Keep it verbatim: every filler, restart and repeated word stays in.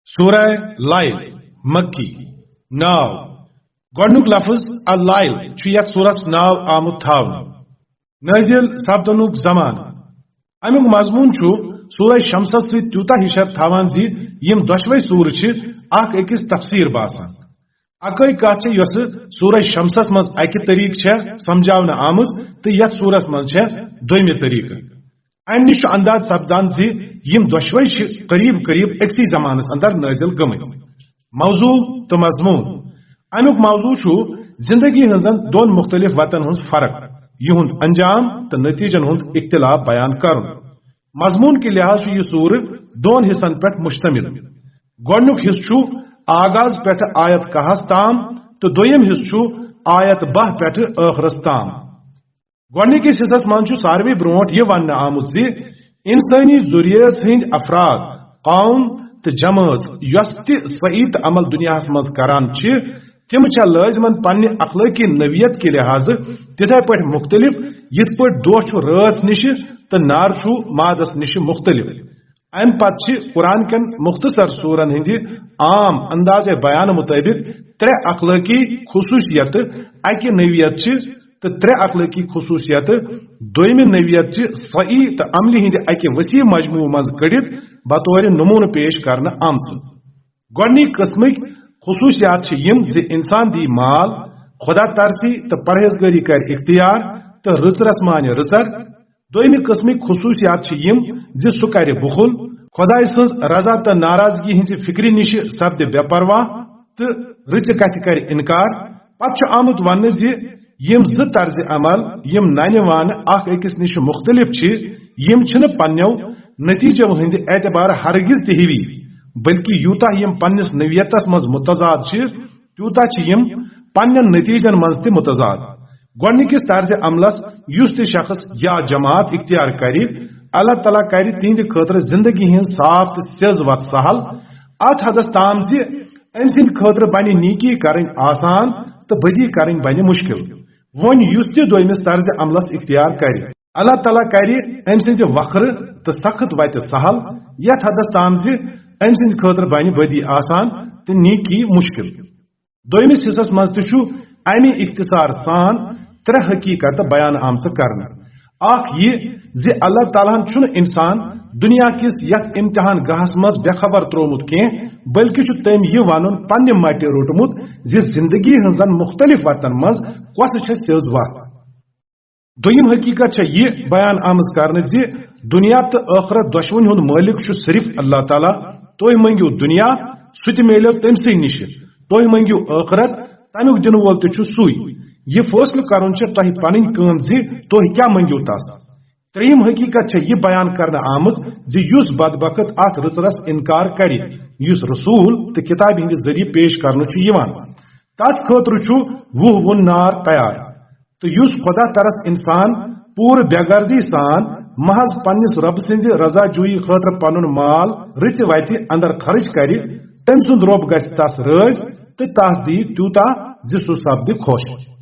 سورہ لیل، مکی۔ ناو۔ گۄڈنیُک لفظ اللیل چھُ یتھ سورس ناو آمُت تھاونہٕ۔ نٲزِل سپدنُک زمانہٕ۔ امیُک مضموٗن چھُ سورہ شمسس سۭتۍ تیوٗتاہ ہِشر تھاوان زِ یِم دۄشوے سورٕ چھِ اکھ أکِس تفسیٖر باسان۔ اکٲے کتھ چھےٚ یۄسہٕ سورہ شمسس منٛز اکہِ طریقہٕ چھےٚ سمجھاونہٕ آمٕژ تہٕ یتھ سورس منٛز چھےٚ دوٚیمہِ طریقہٕ۔ امہِ نِش چھُ انداز سپدان زِ یِم دۄشوے چھِ قریب قریب أکسٕے زمانس اندر نٲزِل گٔمٕتۍ۔ موضوع تہٕ مضموٗن۔ امیُک موضوع چھُ زندگی ہٕنٛزن دۄن مُختٔلِف وتن ہٕنٛز فرق، یِہُنٛد انجام تہٕ نتیجن ہُنٛد اختلاف بیان کرُن۔ مضموٗن کہِ لحاظ چھُ یہِ سورٕ دۄن حصن پٮ۪ٹھ مشتمل۔ گۄڈنیُک حصہٕ چھُ آغاز پٮ۪ٹھٕ آیت کاہس تام تہٕ دوٚیِم حصہٕ چھُ آیت باہ پٮ۪ٹھٕ ٲخرس تام۔ گۄڈنِکِس حصس منٛز چھُ ساروٕے برونٛٹھ یہِ وننہٕ آمُت زِ انسٲنی ذُریٲژ ہٕنٛدۍ افراد، قوم تہٕ جمٲژ یۄس تہِ سعی تہٕ عمل دُنیاہس منٛز کران چھِ، تِم چھا لٲزمن پننہِ اخلٲقی نوعیت کہِ لحاظہٕ تِتھے پٲٹھۍ مُختٔلِف یِتھ پٲٹھۍ دۄہ چھُ رٲژ نِشہِ تہٕ نار چھُ مادس نِشہِ مُختٔلِف۔ امہِ پتہٕ چھِ قرآن کٮ۪ن مختصر سورن ہٕنٛدِ عام اندازِ بیان مطٲبق ترٛےٚ اخلٲقی خصوٗصیتہٕ اکہِ نوعیت چہِ تہٕ ترٛےٚ اخلٲقی خصوٗصیتہٕ دوٚیمہِ نوعیت چہِ سعی تہٕ عملہِ ہٕنٛدِ اکہِ وسیع مجموعہٕ منٛز کٔڑِتھ بطور نموٗنہٕ پیش کرنہٕ آمژٕ۔ گۄڈنِکۍ قٕسمٕکۍ خصوٗصیات چھِ یِم زِ انسان دی مال، خدا ترسی تہٕ پرہیزگٲری کرِ اختیار تہٕ رٕژرس مانہِ رٕژر۔ دوٚیمہِ قٕسمٕکۍ خصوٗصیات چھِ یِم زِ سُہ کرِ بُخل، خدایہِ سٕنٛز رضا تہٕ ناراضگی ہٕنٛزِ فکرِ نِشہِ سپدِ بے پرواہ تہٕ رٕژِ کتھِ کرِ انکار۔ پتہٕ چھُ آمُت وننہٕ زِ یِم زٕ طرزِ عمل، یِم ننہِ وانہٕ اکھ أکِس نِشہِ مُختٔلِف چھِ، یِم چھِنہٕ پننیو نتیجو ہٕنٛدِ اعتبارٕ ہرگز تہِ ہِوی، بلکہِ یوٗتاہ یِم پننِس نوعیتس منٛز متضاد چھِ، تیوٗتاہ چھِ یِم پننٮ۪ن نتیجن منٛز تہِ متضاد۔ گۄڈنِکِس طرزِ عملس یُس تہِ شخص یا جماعت اختیار کرِ، اللہ تعالیٰ کرِ تِہنٛدِ خٲطرٕ زندگی ہٕنٛز صاف تہٕ سیٚز وتھ سہل، اتھ حدس تام زِ أمۍ سٕنٛدِ خٲطرٕ بنہِ نیکی کرٕنۍ آسان تہٕ بدی کرٕنۍ بنہِ مشکل۔ وۄنۍ یُس تہِ دوٚیمِس طرزِ عملس اختیار کرِ، اللہ تعالیٰ کرِ أمۍ سٕنٛزِ وکھرٕ تہٕ سخت وتہِ سہل، یتھ حدس تام زِ أمۍ سٕنٛدِ خٲطرٕ بنہِ بدی آسان تہٕ نیکی مشکل۔ دوٚیمِس حصس منٛز تہِ چھُ اَمہِ اختصار سان ترٛےٚ حقیقت بیان آمژٕ کرنہٕ۔ اکھ یہِ زِ اللہ تعالیٰ ہن چھُنہٕ انسان دُنیا کِس یتھ امتحان گاہس منٛز بے خبر تروومُت کینٛہہ، بلکہِ چھُ تٔمۍ یہِ ونُن پننہِ مٹہِ روٚٹمُت زِ زندگی ہٕنٛزن مُختٔلِف وتن منٛز کۄسہٕ چھےٚ سیٚز وتھ۔ دوٚیِم حقیقت چھےٚ یہِ بیان آمٕژ کرنہٕ زِ دُنیا تہٕ ٲخرت دۄشوٕنۍ ہُنٛد مٲلِک چھُ صرف اللہ تعالیٰ۔ تُہۍ مٔنگِو دُنیا، سُہ تہِ میلیو تٔمۍ سٕے نِشہِ۔ تُہۍ مٔنگِو ٲخرت، تَمیُک دِنہٕ وول تہِ چھُ سُے۔ یہِ فٲصلہٕ کرُن چھےٚ تۄہہِ پنٕنۍ کٲم زِ تُہۍ کیٛاہ مٔنگِو تس۔ ترٛیٚیِم حقیقت چھےٚ یہِ بیان کرنہٕ آمٕژ زِ یُس بدبخت اتھ رٕژرس انکار کرِ، یُس رسول تہٕ کتابہِ ہٕنٛدِ ذٔریعہٕ پیش کرنہٕ چھُ یِوان، تس خٲطرٕ چھُ وُہ وُن نار تیار۔ تہٕ یُس خدا ترس انسان پوٗرٕ بے غرضی سان محض پننِس رۄبہٕ سٕنٛزِ رضا جویی خٲطرٕ پنُن مال رٕژِ وتہِ اندر خرٕچ کرِ، تٔمۍ سُنٛد رۄب گژھِ تس رٲضۍ تہٕ تس دِیہِ تیوٗتاہ زِ سُہ سپدِ خۄش۔